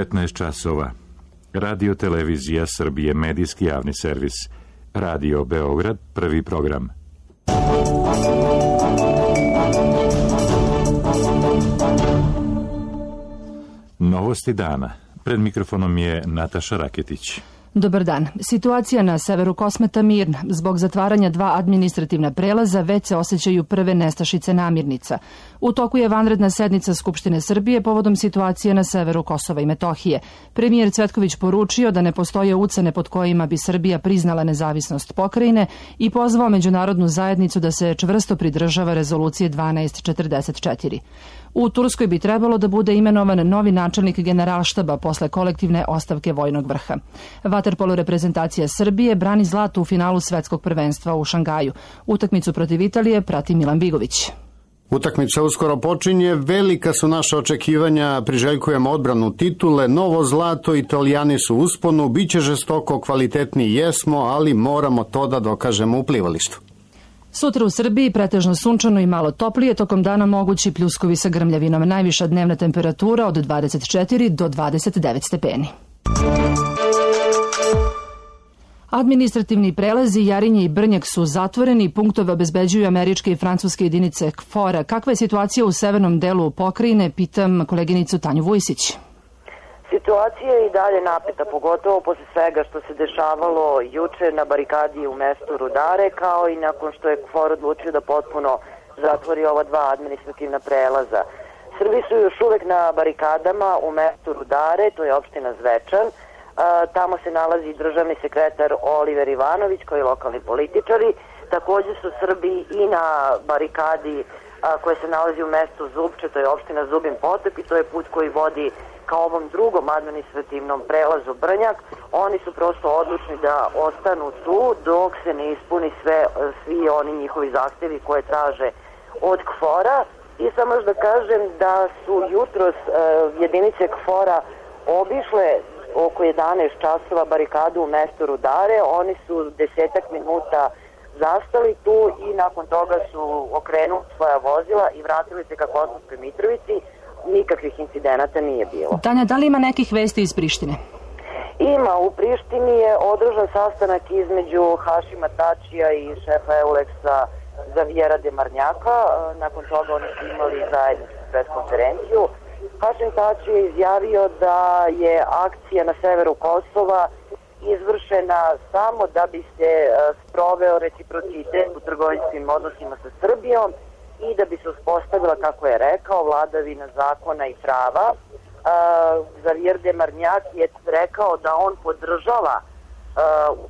15 časova. Radio Televizija Srbije, medijski javni servis. Radio Beograd, prvi program. Novosti dana. Pred mikrofonom je Nataša Raketić. Dobar dan. Situacija na severu Kosmeta mirna. Zbog zatvaranja 2 administrativna prelaza već se osjećaju prve nestašice namirnica. U toku je vanredna sednica Skupštine Srbije povodom situacije na severu Kosova i Metohije. Premijer Cvetković poručio da ne postoje ucene pod kojima bi Srbija priznala nezavisnost pokrajine i pozvao međunarodnu zajednicu da se čvrsto pridržava rezolucije 1244. U Turskoj bi trebalo da bude imenovan novi načelnik Generalštaba posle kolektivne ostavke vojnog vrha. Vaterpolo reprezentacija Srbije brani zlato u finalu svetskog prvenstva u Šangaju. Utakmicu protiv Italije prati Milan Bigović. Utakmica uskoro počinje, velika su naša očekivanja, priželjkujemo odbranu titule, novo zlato, Italijani su u usponu, biće žestoko, kvalitetni jesmo, ali moramo to da dokažemo u plivalištu. Sutra u Srbiji pretežno sunčano i malo toplije, tokom dana mogući pljuskovi sa grmljavinom. Najviša dnevna temperatura od 24 do 29 stepeni. Administrativni prelazi Jarinje i Brnjak su zatvoreni, punktove obezbeđuju američke i francuske jedinice KFOR-a. Kakva je situacija u severnom delu pokrajine, pitam koleginicu Tanju Vujsić. Situacija je i dalje napeta, pogotovo posle svega što se dešavalo juče na barikadi u mestu Rudare, kao i nakon što je KFOR odlučio da potpuno zatvori ova 2 administrativna prelaza. Srbi su još uvek na barikadama u mestu Rudare, to je opština Zvečan. Tamo se nalazi državni sekretar Oliver Ivanović, koji je lokalni političari. Također su Srbi i na barikadi koja se nalazi u mestu Zubče, to je opština Zubin Potok i to je put koji vodi ka ovom drugom administrativnom prelazu Brnjak. Oni su prosto odlučni da ostanu tu dok se ne ispuni svi oni njihovi zahtevi koje traže od KFOR-a. I samo još da kažem da su jutros jedinice KFOR-a obišle oko 11 časova barikadu u mestu Rudare. Oni su 10 minuta zastali tu i nakon toga su okrenuli svoja vozila i vratili se ka Kosovskoj Mitrovici. Nikakvih incidenata nije bilo. Tanja, da li ima nekih vesti iz Prištine? Ima. U Prištini je održan sastanak između Hašima Tačija i šefa Euleksa Zavijera Demarnjaka. Nakon toga oni su imali zajedničku preskonferenciju. Hašim Tači je izjavio da je akcija na severu Kosova izvršena samo da bi se sproveo reciprocitet u trgovinskim odnosima sa Srbijom i da bi se uspostavila, kako je rekao, vladavina zakona i prava. Zavijer Demarnjak je rekao da on podržava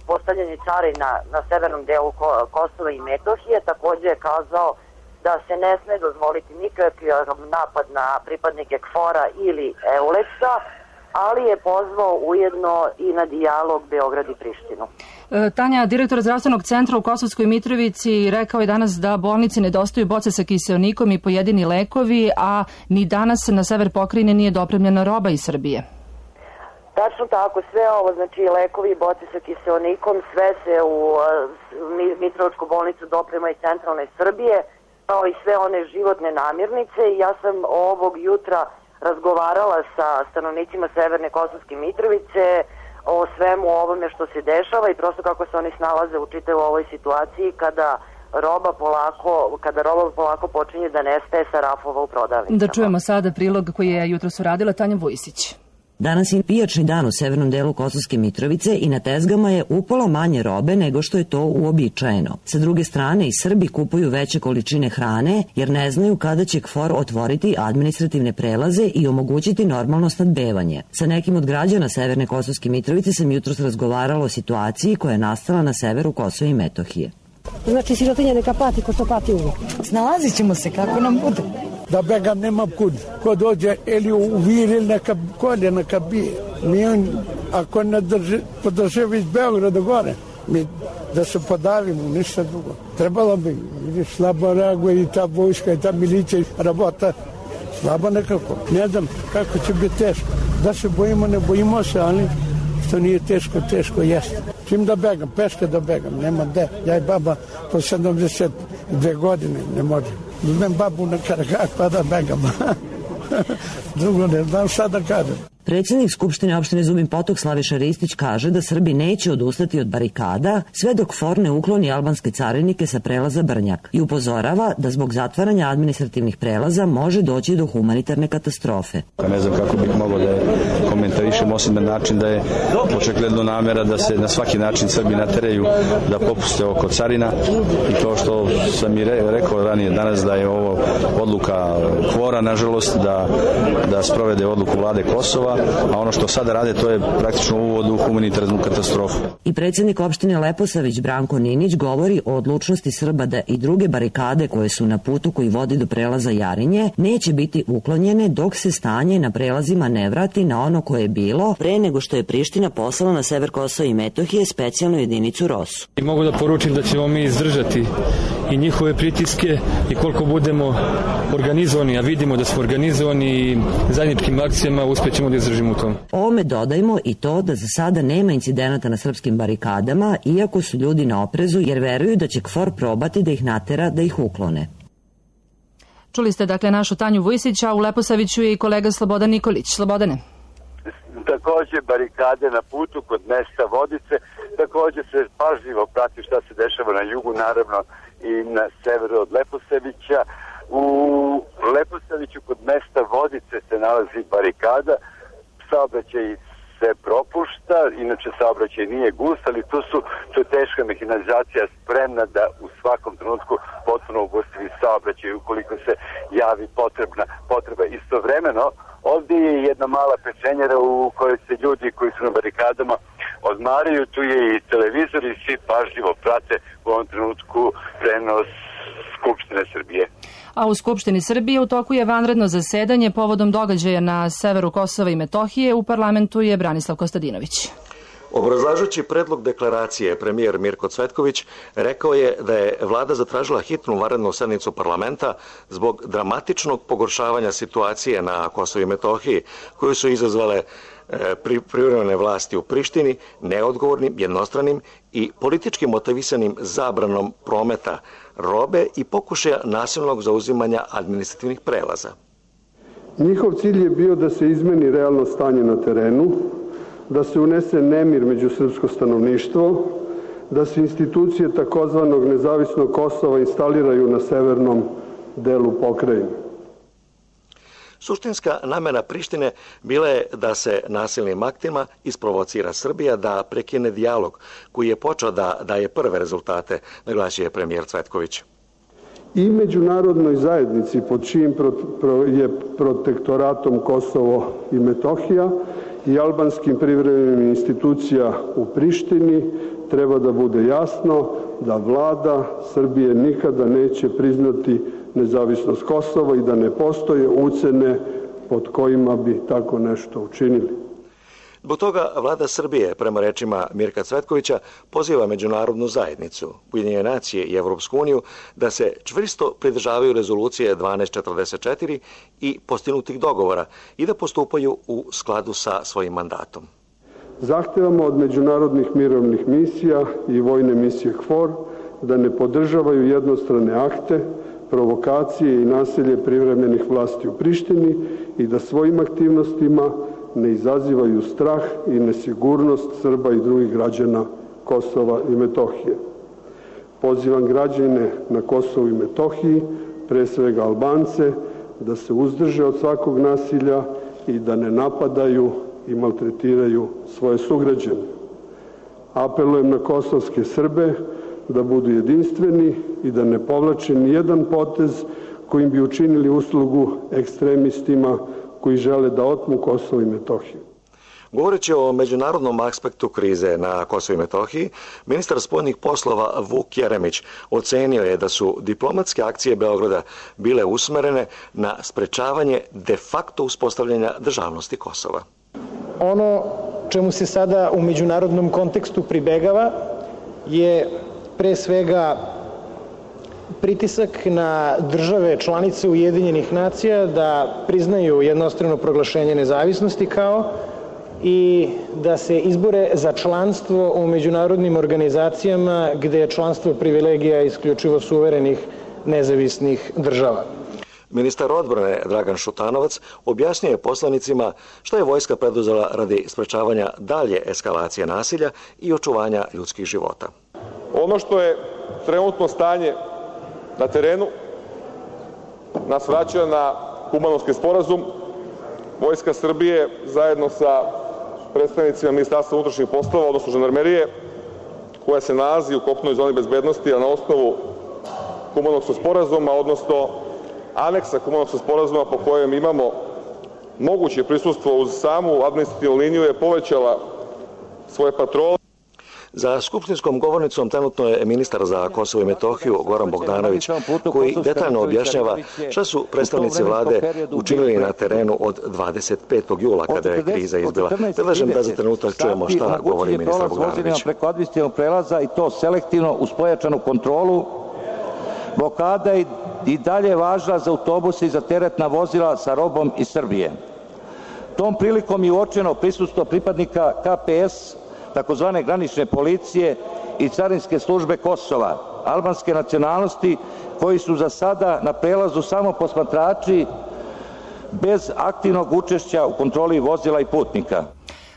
postavljanje carina na severnom delu Kosova i Metohije. Također je kazao da se ne sme dozvoliti nikakav napad na pripadnike KFOR-a ili Euleksa, ali je pozvao ujedno i na dijalog Beograd i Prištinu. Tanja, direktor zdravstvenog centra u Kosovskoj Mitrovici rekao je danas da bolnici nedostaju boce sa kiseonikom i pojedini lekovi, a ni danas na sever pokrajine nije dopremljena roba iz Srbije. Tačno tako, sve ovo, znači lekovi i boce sa kiseonikom, sve se u Mitrovičku bolnicu doprema iz centralne Srbije, kao i sve one životne namirnice. Ja sam ovog jutra razgovarala sa stanovnicima severne Kosovske Mitrovice o svemu ovome što se dešava i prosto kako se oni snalaze u čitavoj ovoj situaciji kada roba polako počinje da nestaje sa rafova u prodavnicama. Da čujemo sada prilog koji je jutros uradila Tanja Vujsić. Danas je pijačni dan u severnom delu Kosovske Mitrovice i na tezgama je upola manje robe nego što je to uobičajeno. Sa druge strane, i Srbi kupuju veće količine hrane jer ne znaju kada će KFOR otvoriti administrativne prelaze i omogućiti normalno snabdevanje. Sa nekim od građana severne Kosovske Mitrovice sam jutros razgovarala o situaciji koja je nastala na severu Kosova i Metohije. Znači sirotinja neka pati ko što pati uvijek. Snalazit ćemo se kako nam bude. Da begam nemam kud. Ko dođe ili u vir ili neka kolje, neka bije. Mi on, ako ne podrže iz Beograda gore, mi da se podavimo, ništa drugo. Trebalo bi, vidiš, slabo reaguje i ta vojska i ta milicija rabota. Slabo nekako. Ne znam kako će biti teško. Da se bojimo, ne bojimo se, ali što nije teško, teško jeste. Čim da begam, peške da begam, nema gde. Ja i baba po 72 godine ne može. Uzmem babu na Karagak pa da begam. Drugo ne znam šta da kažem. Predsjednik Skupštine opštine Zubin Potok Slaviša Ristić kaže da Srbi neće odustati od barikada sve dok FOR ne ukloni albanske carinike sa prelaza Brnjak i upozorava da zbog zatvaranja administrativnih prelaza može doći do humanitarne katastrofe. Ne znam kako bih mogao da je komentarišem osim na način da je očigledno namera da se na svaki način Srbi nateraju da popuste oko carina i to što sam i rekao ranije danas da je ovo odluka KFOR-a nažalost da sprovede odluku vlade Kosova, a ono što sada rade to je praktično uvod u humanitarnu katastrofu. I predsjednik opštine Leposavić Branko Ninić govori o odlučnosti Srba da i druge barikade koje su na putu koji vodi do prelaza Jarinje neće biti uklonjene dok se stanje na prelazima ne vrati na ono koje je bilo pre nego što je Priština poslala na sever Kosova i Metohije specijalnu jedinicu ROSU. I mogu da poručim da ćemo mi izdržati i njihove pritiske i koliko budemo organizovani, a vidimo da smo organizovani i zajedničkim akcijama uspećemo da izdržimo u tom. Ovome dodajmo i to da za sada nema incidenata na srpskim barikadama, iako su ljudi na oprezu jer veruju da će KFOR probati da ih natera da ih uklone. Čuli ste dakle našu Tanju Vujsić, a u Leposaviću je i kolega Slobodan Nikolić. Slobodane. Takođe barikade na putu kod mesta Vodice, takođe se pažljivo prati šta se dešava na jugu, naravno i na severu od Leposavića. U Leposaviću kod mesta Vodice se nalazi barikada, saobraćaj se propušta, inače saobraćaj nije gust, ali to je teška mehanizacija spremna da u svakom trenutku potpuno ugostivi saobraćaj ukoliko se javi potreba. Istovremeno, ovdje je jedna mala pečenjera u kojoj se ljudi koji su na barikadama odmaraju, tu je i televizor i svi pažljivo prate u ovom trenutku prenos Skupštine Srbije. A u Skupštini Srbije u toku je vanredno zasedanje povodom događaja na severu Kosova i Metohije. U parlamentu je Branislav Kostadinović. Obrazlažući predlog deklaracije, premijer Mirko Cvetković rekao je da je vlada zatražila hitnu vanrednu sednicu parlamenta zbog dramatičnog pogoršavanja situacije na Kosovu i Metohiji, koju su izazvale privremene vlasti u Prištini neodgovornim, jednostranim i politički motivisanim zabranom prometa robe i pokušaja nasilnog zauzimanja administrativnih prelaza. Njihov cilj je bio da se izmeni realno stanje na terenu, da se unese nemir među srpsko stanovništvo, da se institucije takozvanog nezavisnog Kosova instaliraju na severnom delu pokrajine. Suštinska namera Prištine bila je da se nasilnim aktima isprovocira Srbija da prekine dijalog koji je počeo da daje prve rezultate, naglasio je premijer Cvetković. I međunarodnoj zajednici pod čijim je protektoratom Kosovo i Metohija i albanskim privremenim institucija u Prištini treba da bude jasno da vlada Srbije nikada neće priznati nezavisnost Kosova i da ne postoje ucene pod kojima bi tako nešto učinili. Zbog toga vlada Srbije, prema rečima Mirka Cvetkovića, poziva međunarodnu zajednicu, Ujedinjene nacije i Evropsku uniju da se čvrsto pridržavaju rezolucije 1244 i postignutih dogovora i da postupaju u skladu sa svojim mandatom. Zahtevamo od međunarodnih mirovnih misija i vojne misije KFOR da ne podržavaju jednostrane akte, provokacije i nasilje privremenih vlasti u Prištini i da svojim aktivnostima ne izazivaju strah i nesigurnost Srba i drugih građana Kosova i Metohije. Pozivam građane na Kosovu i Metohiji, pre svega Albance, da se uzdrže od svakog nasilja i da ne napadaju i maltretiraju svoje sugrađane. Apelujem na kosovske Srbe da budu jedinstveni i da ne povlače ni jedan potez kojim bi učinili uslugu ekstremistima koji žele da otmu Kosovo i Metohiju. Govoreći o međunarodnom aspektu krize na Kosovu i Metohiji, ministar spoljnih poslova Vuk Jeremić ocenio je da su diplomatske akcije Beograda bile usmerene na sprečavanje de facto uspostavljanja državnosti Kosova. Ono čemu se sada u međunarodnom kontekstu pribegava je pre svega pritisak na države članice Ujedinjenih nacija da priznaju jednostrano proglašenje nezavisnosti kao i da se izbore za članstvo u međunarodnim organizacijama gde je članstvo privilegija isključivo suverenih nezavisnih država. Ministar odbrane Dragan Šutanovac objasnio je poslanicima što je vojska preduzela radi sprečavanja dalje eskalacije nasilja i očuvanja ljudskih života. Ono što je trenutno stanje na terenu nas vraća na Kumanovski sporazum. Vojska Srbije zajedno sa predstavnicima Ministarstva unutrašnjih poslova, odnosno žandarmerije, koja se nalazi u kopnoj zoni bezbednosti, a na osnovu Kumanovskog sporazuma, odnosno aneksa Kumanovskog sporazuma po kojem imamo moguće prisustvo uz samu administrativnu liniju, je povećala svoje patrole. Za skupštinskom govornicom trenutno je ministar za Kosovo i Metohiju Goran Bogdanović, koji detaljno objašnjava šta su predstavnici vlade učinili na terenu od 25. jula kada je kriza izbila. Predlažem da za trenutak čujemo šta govori ministar Bogdanović. Preko administrativnog prelaza i to selektivno uz pojačanu kontrolu. Blokada je i dalje važna za autobuse i za teretna vozila sa robom iz Srbije. Tom prilikom je uočeno prisustvo pripadnika KPS, takozvane granične policije i carinske službe Kosova, albanske nacionalnosti, koji su za sada na prelazu samo posmatrači bez aktivnog učešća u kontroli vozila i putnika.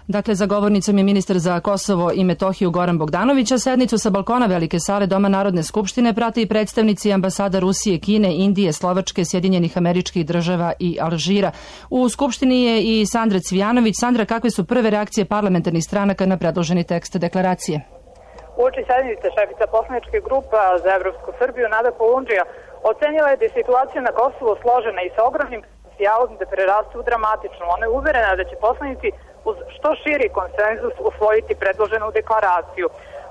Dakle, za govornicom je ministar za Kosovo i Metohiju Goran Bogdanović, a sednicu sa balkona Velike sale Doma Narodne skupštine prate i predstavnici ambasada Rusije, Kine, Indije, Slovačke, Sjedinjenih Američkih Država i Alžira. U skupštini je i Sandra Cvijanović. Sandra, kakve su prve reakcije parlamentarnih stranaka na predloženi tekst deklaracije? Uoči sednice šefica poslaničke grupa za Evropsku Srbiju Nada Kolundžija ocenila je da je situacija na Kosovu složena i sa ogromnim potencijalom da preraste u dramatičnu. Ona je uverena da će poslanici uz što širi konsenzus usvojiti predloženu deklaraciju.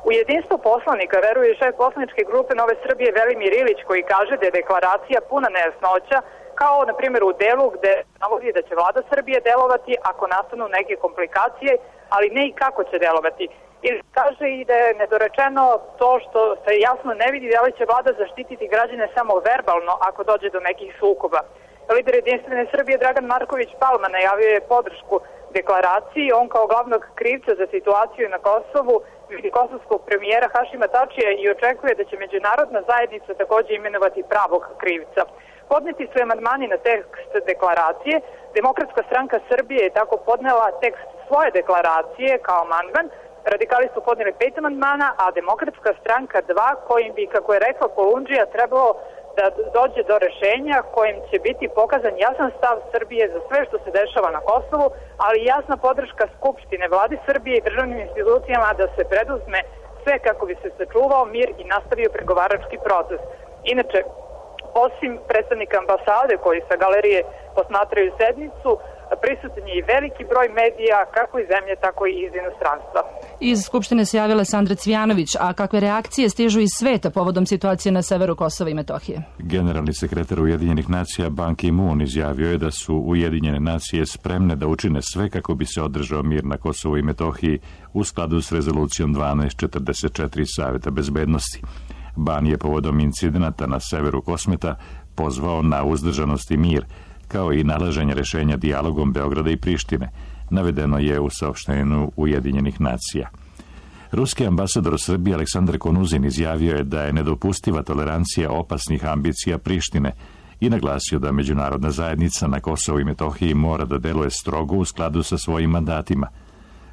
U jedinstvo poslanika veruje i šef poslaničke grupe Nove Srbije Velimir Ilić, koji kaže da je deklaracija puna nejasnoća, kao na primjer u delu gde navodi da će vlada Srbije delovati ako nastanu neke komplikacije, ali ne i kako će delovati. Ili kaže i da je nedorečeno to što se jasno ne vidi da li će vlada zaštititi građane samo verbalno ako dođe do nekih sukoba. Lider Jedinstvene Srbije Dragan Marković Palma najavio je podršku deklaraciji. On kao glavnog krivca za situaciju na Kosovu vidi kosovskog premijera Hašima Tačija i očekuje da će međunarodna zajednica takođe imenovati pravog krivca. Podneti su amandmani na tekst deklaracije. Demokratska stranka Srbije je tako podnela tekst svoje deklaracije kao amandman. Radikali su podneli 5 amandmana, a Demokratska stranka 2, kojim bi, kako je rekla Kolundžija, trebalo da dođe do rešenja kojim će biti pokazan jasan stav Srbije za sve što se dešava na Kosovu, ali jasna podrška Skupštine, vladi Srbije i državnim institucijama da se preduzme sve kako bi se sačuvao mir i nastavio pregovarački proces. Inače, osim predstavnika ambasade koji sa galerije posmatraju sednicu, prisutan je i veliki broj medija, kako iz zemlje, tako i iz inostranstva. Iz Skupštine se javila Sandra Cvijanović, a kakve reakcije stižu iz sveta povodom situacije na severu Kosova i Metohije? Generalni sekretar Ujedinjenih nacija Ban Ki-moon izjavio je da su Ujedinjene nacije spremne da učine sve kako bi se održao mir na Kosovu i Metohiji u skladu s rezolucijom 1244 Saveta bezbednosti. Ban je povodom incidenata na severu Kosmeta pozvao na uzdržanost i mir, kao i nalaženje rešenja dijalogom Beograda i Prištine, navedeno je u saopštenju Ujedinjenih nacija. Ruski ambasador u Srbiji Aleksandar Konuzin izjavio je da je nedopustiva tolerancija opasnih ambicija Prištine i naglasio da međunarodna zajednica na Kosovu i Metohiji mora da deluje strogo u skladu sa svojim mandatima.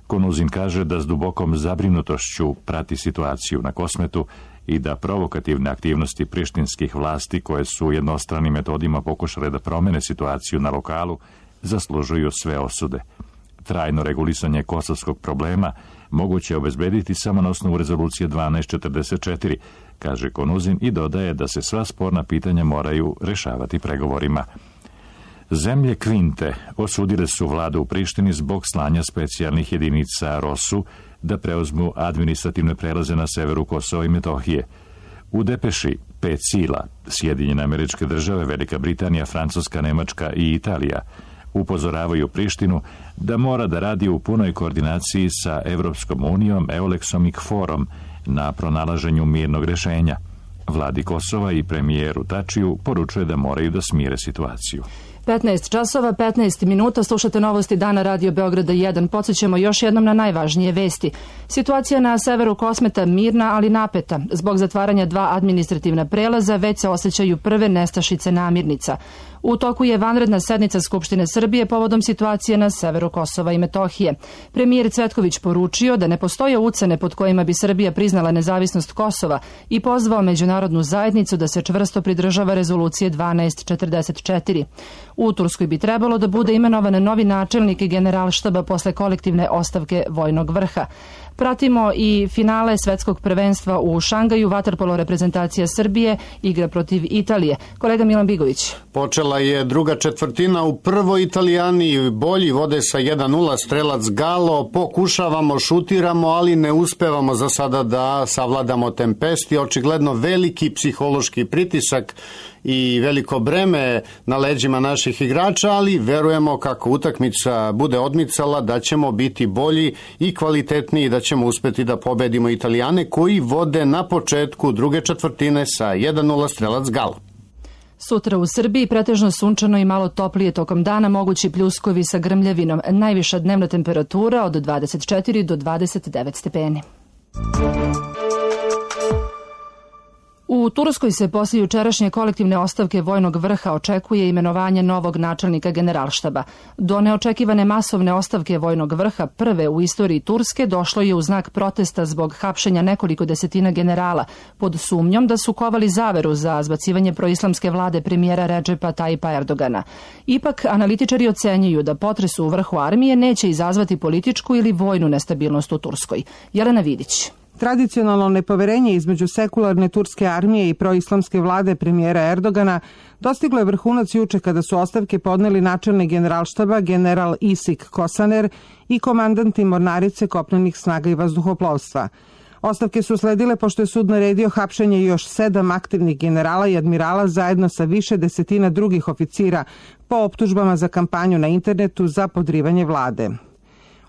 Konuzin kaže da s dubokom zabrinutošću prati situaciju na Kosmetu i da provokativne aktivnosti prištinskih vlasti koje su jednostranim metodima pokušale da promene situaciju na lokalu zaslužuju sve osude. Trajno regulisanje kosovskog problema moguće je obezbediti samo na osnovu rezolucije 1244, kaže Konuzin i dodaje da se sva sporna pitanja moraju rešavati pregovorima. Zemlje Kvinte osudile su vladu u Prištini zbog slanja specijalnih jedinica ROSU da preuzmu administrativne prelaze na severu Kosova i Metohije. U depeši 5 sila, Sjedinjene Američke Države, Velika Britanija, Francuska, Nemačka i Italija, upozoravaju Prištinu da mora da radi u punoj koordinaciji sa Evropskom unijom, Euleksom i KFOR-om na pronalaženju mirnog rešenja. Vladi Kosova i premijeru Tačiju poručuje da moraju da smire situaciju. 15 časova, 15 minuta, slušate novosti dana Radio Beograda 1. Podsjećamo još jednom na najvažnije vesti. Situacija na severu Kosmeta mirna, ali napeta. Zbog zatvaranja 2 administrativna prelaza već se osjećaju prve nestašice namirnica. U toku je vanredna sednica Skupštine Srbije povodom situacije na severu Kosova i Metohije. Premijer Cvetković poručio da ne postoje ucene pod kojima bi Srbija priznala nezavisnost Kosova i pozvao međunarodnu zajednicu da se čvrsto pridržava rezolucije 1244. U Turskoj bi trebalo da bude imenovan novi načelnik Generalštaba posle kolektivne ostavke vojnog vrha. Pratimo i finale svetskog prvenstva u Šangaju. Vaterpolo reprezentacija Srbije igra protiv Italije. Kolega Milan Bigović. Počela je druga četvrtina, u prvoj Italijani bolji vode sa 1-0, strelac Galo, pokušavamo, šutiramo, ali ne uspevamo za sada da savladamo tempesti. Očigledno veliki psihološki pritisak i veliko breme na leđima naših igrača, ali verujemo kako utakmica bude odmicala da ćemo biti bolji i kvalitetniji, da ćemo uspeti da pobedimo Italijane koji vode na početku druge četvrtine sa 1-0, strelac Galo. Sutra u Srbiji pretežno sunčano i malo toplije tokom dana, mogući pljuskovi sa grmljavinom. Najviša dnevna temperatura od 24 do 29 stepeni. U Turskoj se posle jučerašnje kolektivne ostavke vojnog vrha očekuje imenovanje novog načelnika Generalštaba. Do neočekivane masovne ostavke vojnog vrha, prve u istoriji Turske, došlo je u znak protesta zbog hapšenja nekoliko desetina generala pod sumnjom da su kovali zaveru za zbacivanje proislamske vlade premijera Redžepa Tajipa Erdogana. Ipak, analitičari ocenjuju da potres u vrhu armije neće izazvati političku ili vojnu nestabilnost u Turskoj. Jelena Vidić. Tradicionalno nepoverenje između sekularne turske armije i proislamske vlade premijera Erdogana dostiglo je vrhunac juče kada su ostavke podneli načelnik Generalštaba general Isik Kosaner i komandanti mornarice kopnenih snaga i vazduhoplovstva. Ostavke su sledile pošto je sud naredio hapšenje još 7 aktivnih generala i admirala zajedno sa više desetina drugih oficira po optužbama za kampanju na internetu za podrivanje vlade.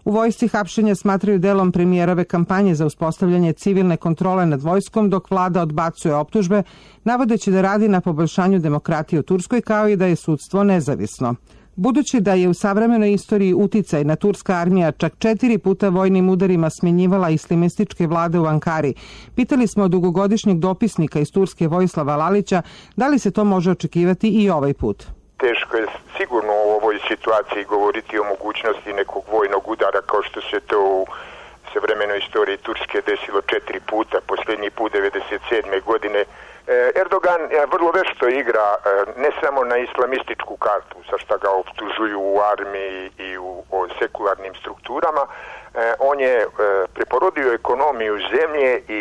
U vojsci hapšenja smatraju delom premijerove kampanje za uspostavljanje civilne kontrole nad vojskom, dok vlada odbacuje optužbe, navodeći da radi na poboljšanju demokratije u Turskoj kao i da je sudstvo nezavisno. Budući da je u savremenoj istoriji uticaj na turska armija čak 4 puta vojnim udarima smjenjivala islamističke vlade u Ankari, pitali smo dugogodišnjeg dopisnika iz Turske Vojislava Lalića da li se to može očekivati i ovaj put. Teško je sigurno u ovoj situaciji govoriti o mogućnosti nekog vojnog udara kao što se to u savremenoj istoriji Turske desilo 4 puta, posljednji put 1997. godine. Erdogan vrlo vešto igra ne samo na islamističku kartu, za šta ga optužuju u armiji i u sekularnim strukturama. On je preporodio ekonomiju zemlje i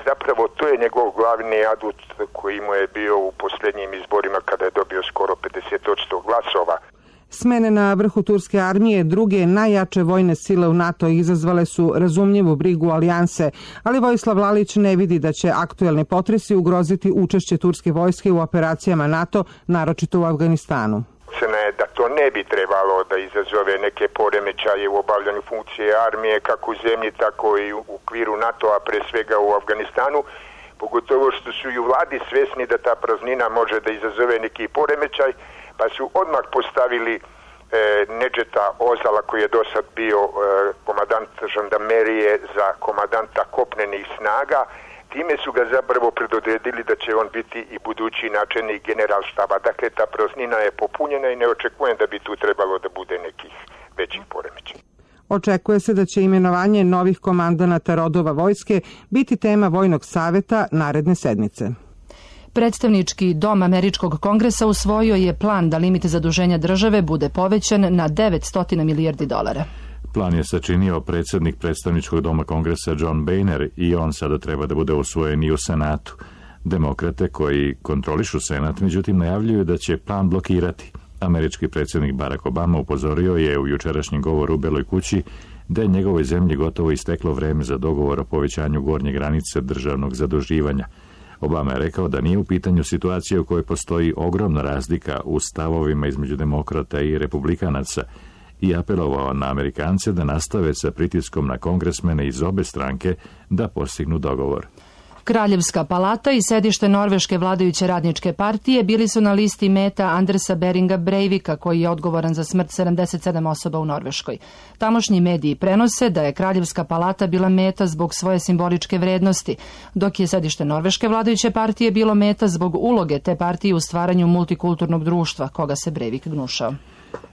zapravo to je njegov glavni adut koji mu je bio u posljednjim izborima kada je dobio skoro 50% glasova. Smene na vrhu turske armije, druge najjače vojne sile u NATO izazvale su razumljivu brigu alijanse, ali Vojislav Lalić ne vidi da će aktuelni potresi ugroziti učešće turske vojske u operacijama NATO, naročito u Afganistanu. Da to ne bi trebalo da izazove neke poremećaje u obavljanju funkcije armije kako u zemlji, tako i u okviru NATO-a, pre svega u Afganistanu, pogotovo što su i u vladi svesni da ta praznina može da izazove neki poremećaj, pa su odmah postavili Nedžeta Ozala, koji je do sad bio komandant žandarmerije za komandanta kopnenih snaga. Time su ga zapravo predodredili da će on biti i budući načelnik Generalštaba. Dakle, ta praznina je popunjena i ne očekujem da bi tu trebalo da bude nekih većih poremećaja. Očekuje se da će imenovanje novih komandanata rodova vojske biti tema Vojnog saveta naredne sedmice. Predstavnički dom Američkog kongresa usvojio je plan da limit zaduženja države bude povećan na 900 milijardi dolara. Plan je sačinio predsjednik predstavničkog doma kongresa John Boehner i on sada treba da bude usvojen i u Senatu. Demokrate koji kontrolišu Senat, međutim, najavljuju da će plan blokirati. Američki predsjednik Barack Obama upozorio je u jučerašnjem govoru u Beloj kući da je njegovoj zemlji gotovo isteklo vreme za dogovor o povećanju gornje granice državnog zaduživanja. Obama je rekao da nije u pitanju situacija u kojoj postoji ogromna razlika u stavovima između demokrata i republikanaca i apelovao na Amerikance da nastave sa pritiskom na kongresmene iz obe stranke da postignu dogovor. Kraljevska palata i sedište norveške vladajuće radničke partije bili su na listi meta Andersa Beringa Breivika, koji je odgovoran za smrt 77 osoba u Norveškoj. Tamošnji mediji prenose da je Kraljevska palata bila meta zbog svoje simboličke vrednosti, dok je sedište norveške vladajuće partije bilo meta zbog uloge te partije u stvaranju multikulturnog društva, koga se Breivik gnušao.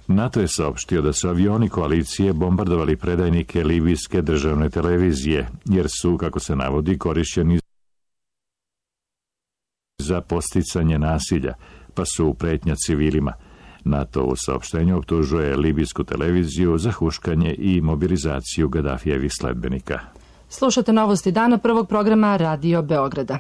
NATO je saopštio da su avioni koalicije bombardovali predajnike libijske državne televizije, jer su, kako se navodi, korišćeni za podsticanje nasilja, pa su pretnja civilima. NATO u saopštenju optužuje libijsku televiziju za huškanje i mobilizaciju Gadafijevih sledbenika. Slušate novosti dana prvog programa Radio Beograda.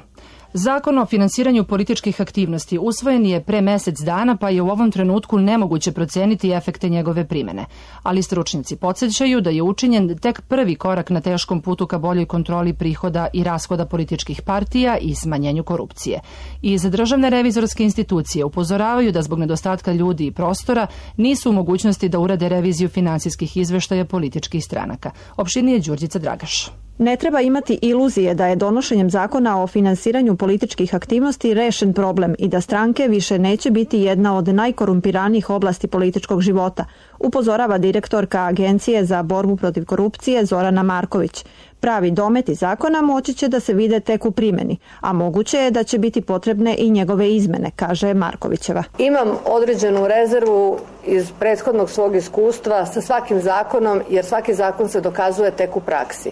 Zakon o finansiranju političkih aktivnosti usvojen je pre mesec dana, pa je u ovom trenutku nemoguće proceniti efekte njegove primene. Ali stručnjaci podsjećaju da je učinjen tek prvi korak na teškom putu ka boljoj kontroli prihoda i rashoda političkih partija i smanjenju korupcije. Iz državne revizorske institucije upozoravaju da zbog nedostatka ljudi i prostora nisu u mogućnosti da urade reviziju finansijskih izveštaja političkih stranaka. Opširnije Đurđica Dragaš. Ne treba imati iluzije da je donošenjem zakona o finansiranju političkih aktivnosti rešen problem i da stranke više neće biti jedna od najkorumpiranijih oblasti političkog života, upozorava direktorka Agencije za borbu protiv korupcije Zorana Marković. Pravi dometi zakona moći će da se vide tek u primjeni, a moguće je da će biti potrebne i njegove izmene, kaže Markovićeva. Imam određenu rezervu iz prethodnog svog iskustva sa svakim zakonom, jer svaki zakon se dokazuje tek u praksi.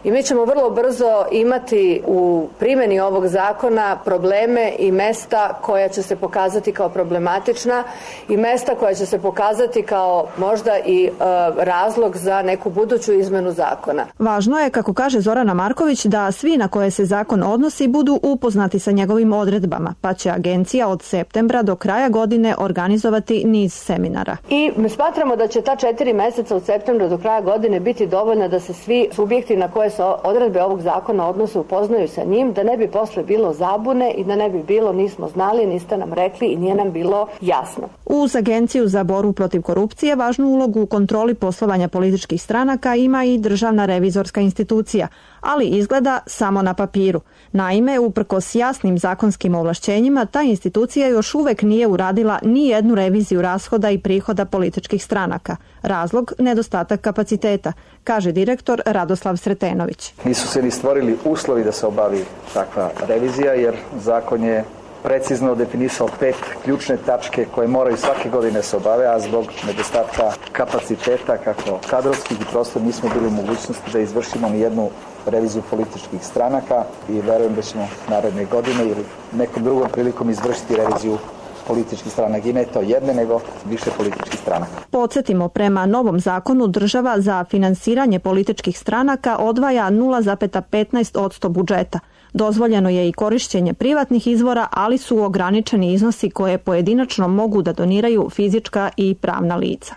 I mi ćemo vrlo brzo imati u primjeni ovog zakona probleme i mesta koja će se pokazati kao problematična i mesta koja će se pokazati kao možda i razlog za neku buduću izmenu zakona. Važno je, kako kaže Zorana Marković, da svi na koje se zakon odnosi budu upoznati sa njegovim odredbama, pa će agencija od septembra do kraja godine organizovati niz seminara. I mi smatramo da će ta 4 meseca od septembra do kraja godine biti dovoljna da se svi subjekti na koje se odredbe ovog zakona odnose upoznaju sa njim, da ne bi posle bilo zabune i da ne bi bilo nismo znali, niste nam rekli i nije nam bilo jasno. Uz Agenciju za borbu protiv korupcije važnu ulogu u kontroli poslovanja političkih stranaka ima i Državna revizorska institucija, ali izgleda samo na papiru. Naime, uprkos jasnim zakonskim ovlašćenjima, ta institucija još uvek nije uradila ni jednu reviziju rashoda i prihoda političkih stranaka. Razlog – nedostatak kapaciteta, kaže direktor Radoslav Sretenović. Nisu se ni stvorili uslovi da se obavi takva revizija, jer zakon je precizno definisao 5 ključne tačke koje moraju svake godine se obave, a zbog nedostatka kapaciteta, kako kadrovskih i prosto nismo bili u mogućnosti da izvršimo ni jednu reviziju političkih stranaka i verujem da ćemo naredne godine ili nekom drugom prilikom izvršiti reviziju političkih stranaka. I ne to jedne, nego više političkih stranaka. Podsjetimo, prema novom zakonu država za finansiranje političkih stranaka odvaja 0,15% budžeta. Dozvoljeno je i korišćenje privatnih izvora, ali su ograničeni iznosi koje pojedinačno mogu da doniraju fizička i pravna lica.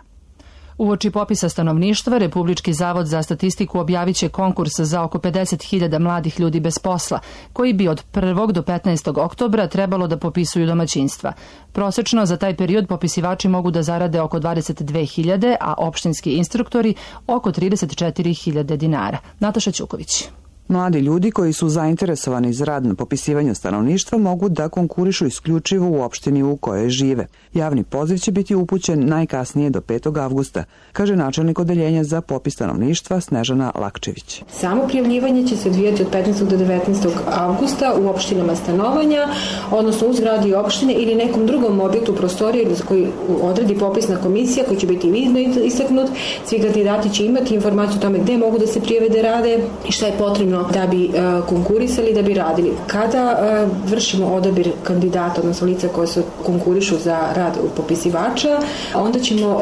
Uoči popisa stanovništva, Republički zavod za statistiku objavit će konkurs za oko 50.000 mladih ljudi bez posla, koji bi od 1. do 15. oktobra trebalo da popisuju domaćinstva. Prosečno za taj period popisivači mogu da zarade oko 22.000, a opštinski instruktori oko 34.000 dinara. Nataša Ćuković. Mladi ljudi koji su zainteresovani za rad na popisivanju stanovništva mogu da konkurišu isključivo u opštini u kojoj žive. Javni poziv će biti upućen najkasnije do 5. avgusta, kaže načelnik odeljenja za popis stanovništva Snežana Lakčević. Samo prijavljivanje će se odvijati od 15. do 19. avgusta u opštinama stanovanja, odnosno u zgradi opštine ili nekom drugom objektu prostorije koji odredi popisna komisija koji će biti vidno istaknut. Svi kandidati će imati informaciju o tome gde mogu da se prijave da rade i šta je potrebno da bi konkurisali, da bi radili. Kada vršimo odabir kandidata, odnosno lica koje se konkurišu za rad popisivača, onda ćemo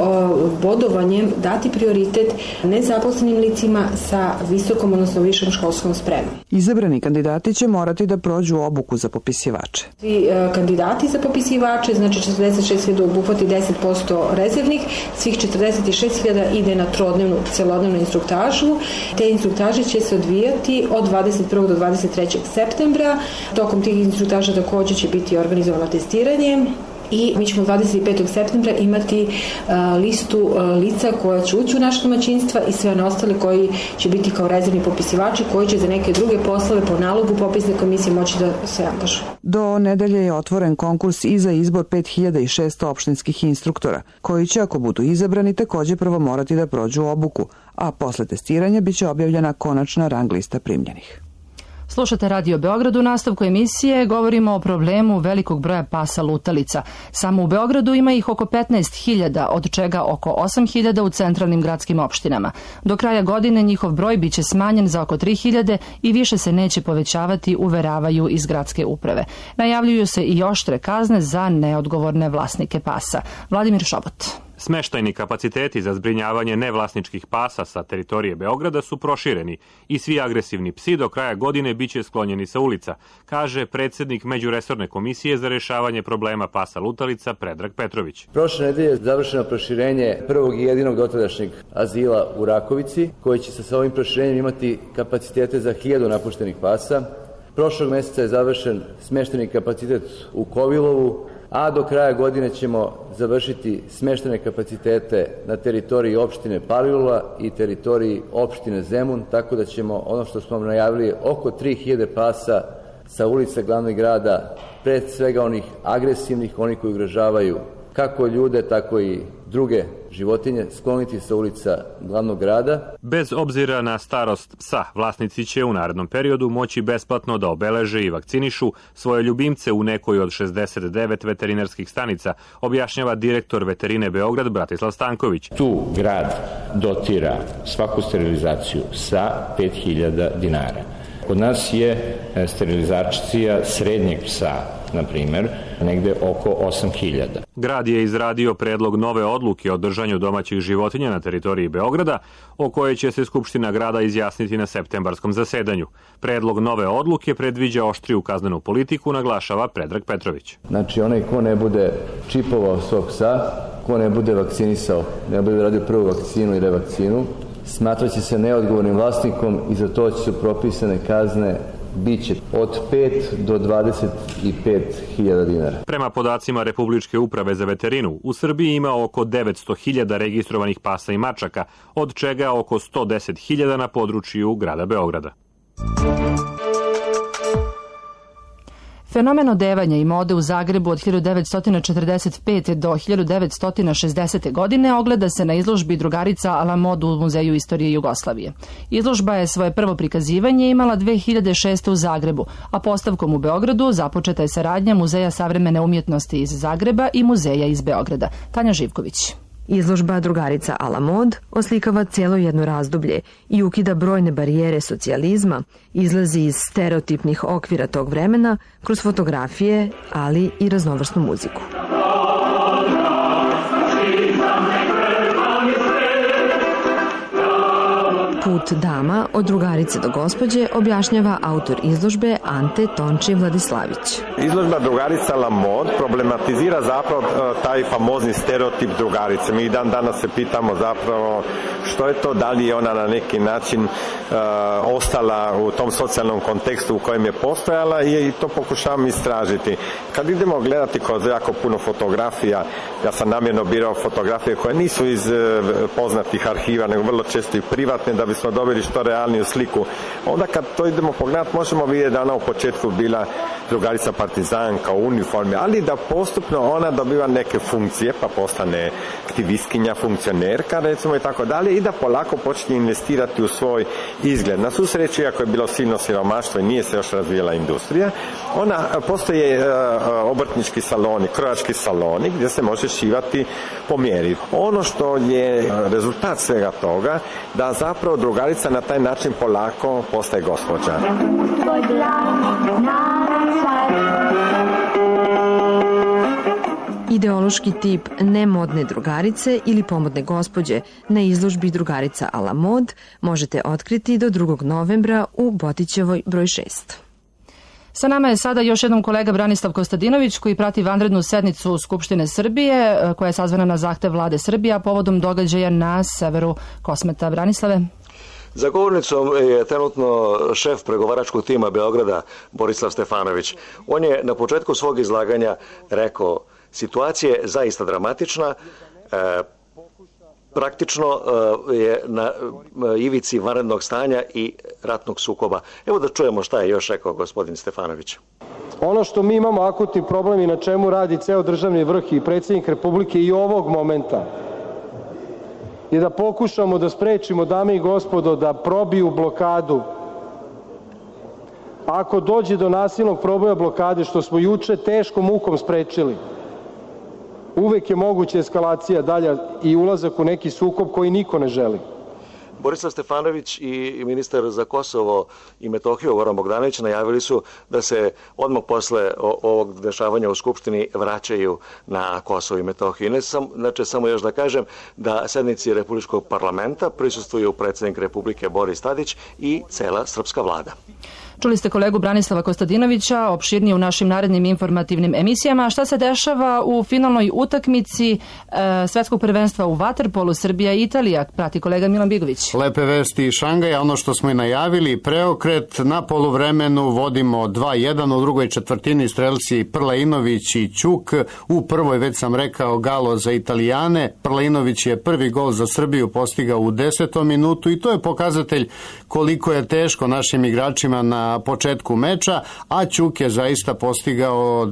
bodovanjem dati prioritet nezaposlenim licima sa visokom, odnosno višom školskom spremom. Izabrani kandidati će morati da prođu obuku za popisivače. Svi kandidati za popisivače, znači 46.000 obuhvati 10% rezervnih, svih 46.000 ide na trodnevnu, celodnevnu instruktažu. Te instruktaže će se odvijati od 21. do 23. septembra. Tokom tih instruktaža također će biti organizovano testiranje i mi ćemo 25. septembra imati listu lica koja će ući u naše domaćinstva i sve one ostale koji će biti kao rezervni popisivači koji će za neke druge poslove po nalogu popisne komisije moći da se angažuju. Do nedelje je otvoren konkurs i za izbor 5600 opštinskih instruktora, koji će, ako budu izabrani, takođe prvo morati da prođu obuku, a posle testiranja biće objavljena konačna rang lista primljenih. Slušate Radio Beograd. U nastavku emisije govorimo o problemu velikog broja pasa lutalica. Samo u Beogradu ima ih oko 15.000, od čega oko 8.000 u centralnim gradskim opštinama. Do kraja godine njihov broj biće smanjen za oko 3.000 i više se neće povećavati, uveravaju iz gradske uprave. Najavljuju se i oštre kazne za neodgovorne vlasnike pasa. Vladimir Šobot. Smeštajni kapaciteti za zbrinjavanje nevlasničkih pasa sa teritorije Beograda su prošireni i svi agresivni psi do kraja godine biće sklonjeni sa ulica, kaže predsednik Međuresorne komisije za rešavanje problema pasa lutalica Predrag Petrović. Prošle nedelje je završeno proširenje prvog i jedinog dotadašnjeg azila u Rakovici, koji će sa ovim proširenjem imati kapacitete za 1000 napuštenih pasa. Prošlog meseca je završen smeštajni kapacitet u Kovilovu, a do kraja godine ćemo završiti smeštajne kapacitete na teritoriji opštine Palilula i teritoriji opštine Zemun, tako da ćemo, ono što smo najavili, oko 3000 pasa sa ulica glavnog grada, pre svega onih agresivnih, oni koji ugrožavaju kako ljude, tako i druge životinje, skloniti sa ulica glavnog grada. Bez obzira na starost psa, vlasnici će u narednom periodu moći besplatno da obeleže i vakcinišu svoje ljubimce u nekoj od 69 veterinarskih stanica, objašnjava direktor Veterine Beograd Bratislav Stanković. Tu grad dotira svaku sterilizaciju sa 5000 dinara. Kod nas je sterilizacija srednjeg psa, na primer, negde oko 8000. Grad je izradio predlog nove odluke o držanju domaćih životinja na teritoriji Beograda, o kojoj će se Skupština grada izjasniti na septembarskom zasedanju. Predlog nove odluke predviđa oštriju kaznenu politiku, naglašava Predrag Petrović. Znači, onaj ko ne bude čipovao svog psa, ko ne bude vakcinisao, ne bude radio prvu vakcinu i revakcinu, smatraće se neodgovornim vlasnikom i za to će su propisane kazne biće od 5 do 25.000 dinara. Prema podacima Republičke uprave za veterinu, u Srbiji ima oko 900.000 registrovanih pasa i mačaka, od čega oko 110.000 na području grada Beograda. Fenomen odevanja i mode u Zagrebu od 1945. do 1960. godine ogleda se na izložbi Drugarica a la mode u Muzeju istorije Jugoslavije. Izložba je svoje prvo prikazivanje imala 2006. u Zagrebu, a postavkom u Beogradu započeta je saradnja Muzeja savremene umjetnosti iz Zagreba i Muzeja iz Beograda. Tanja Živković. Izložba Drugarica a la mode oslikava cijelo jedno razdoblje i ukida brojne barijere socijalizma, izlazi iz stereotipnih okvira tog vremena kroz fotografije, ali i raznovrsnu muziku. Put dama od drugarice do gospođe objašnjava autor izložbe Ante Tonči Vladislavić. Izložba Drugarica la mode problematizira zapravo taj famozni stereotip drugarice. Mi dan danas se pitamo zapravo što je to, da li je ona na neki način ostala u tom socijalnom kontekstu u kojem je postojala i to pokušavam istražiti. Kad idemo gledati kroz jako puno fotografija, ja sam namjerno birao fotografije koje nisu iz poznatih arhiva, nego vrlo često i privatne, da bismo dobili što realniju sliku. Onda kad to idemo pogledati, možemo vidjeti da ona u početku bila drugarica partizanka u uniformi, ali da postupno ona dobiva neke funkcije, pa postane aktivistkinja, funkcionerka, recimo i tako dalje, i da polako počne investirati u svoj izgled. Na svu sreću, iako je bilo silno siromaštvo i nije se još razvijela industrija, postoje obrtnički saloni, krojački saloni gdje se može šivati po mjeri. Ono što je rezultat svega toga, da zapravo drugarica na taj način polako postaje gospođa. Ideološki tip nemodne drugarice ili pomodne gospođe na izložbi Drugarica a la mode možete otkriti do 2. novembra u Botićevoj broj 6. Sa nama je sada još jednom kolega Branislav Kostadinović koji prati vanrednu sednicu Skupštine Srbije koja je sazvana na zahtev vlade Srbije, a povodom događaja na severu Kosmeta. Branislave? Za govornicom je trenutno šef pregovaračkog tima Beograda Borislav Stefanović. On je na početku svog izlaganja rekao Situacija je zaista dramatična, praktično je na ivici vanrednog stanja i ratnog sukoba. Evo da čujemo šta je još rekao gospodin Stefanović. Ono što mi imamo akutni problem i na čemu radi ceo državni vrh i predsjednik Republike i ovog momenta je da pokušamo da sprečimo, dame i gospodo, da probiju blokadu. Ako dođe do nasilnog proboja blokade, što smo juče teškom mukom sprečili, uvek je moguća eskalacija dalja i ulazak u neki sukob koji niko ne želi. Borislav Stefanović i ministar za Kosovo i Metohiju Goran Bogdanović najavili su da se odmah posle ovog dešavanja u Skupštini vraćaju na Kosovo i Metohiju. Znači, samo još da kažem da sednici Republičkog parlamenta prisustvuju predsjednik Republike Boris Tadić i cela srpska vlada. Čuli ste kolegu Branislava Kostadinovića, opširnije u našim narednim informativnim emisijama. Šta se dešava u finalnoj utakmici svetskog prvenstva u vaterpolu Srbija i Italija? Prati kolega Milan Bigović. Lepe vesti iz Šangaja, ono što smo i najavili, preokret na poluvremenu, vodimo 2-1, u drugoj četvrtini strelci Prlainović i Ćuk, u prvoj, već sam rekao, galo za Italijane. Prlainović je prvi gol za Srbiju postigao u 10. minutu i to je pokazatelj koliko je teško našim igračima na početku meča, a Ćuk je zaista postigao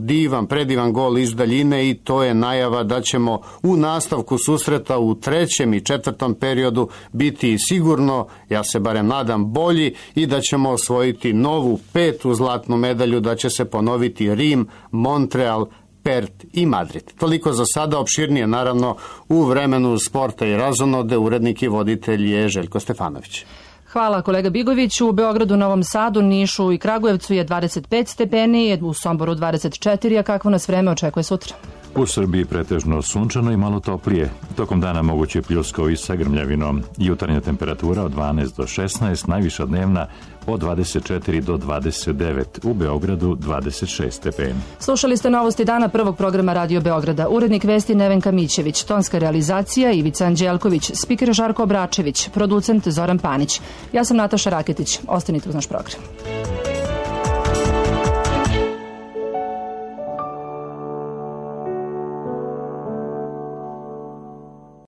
predivan gol iz daljine i to je najava da ćemo u nastavku susreta u 3. i 4. periodu biti sigurno, ja se barem nadam, bolji i da ćemo osvojiti novu 5. zlatnu medalju, da će se ponoviti Rim, Montreal, Perth i Madrid. Toliko za sada, opširnije naravno u vremenu sporta i razonode. Urednik i voditelj je Željko Stefanović. Hvala kolega Bigović. U Beogradu, Novom Sadu, Nišu i Kragujevcu je 25 stepeni, u Somboru 24, a kakvo nas vreme očekuje sutra? U Srbiji pretežno sunčano i malo toplije. Tokom dana moguće pljuskao i sa grmljavinom. Jutarnja temperatura od 12 do 16, najviša dnevna od 24 do 29, u Beogradu 26 stepeni. Slušali ste novosti dana prvog programa Radio Beograda. Urednik vesti Nevenka Mićević, tonska realizacija Ivica Anđelković, spiker Žarko Obračević, producent Zoran Panić. Ja sam Nataša Raketić. Ostanite uz naš program.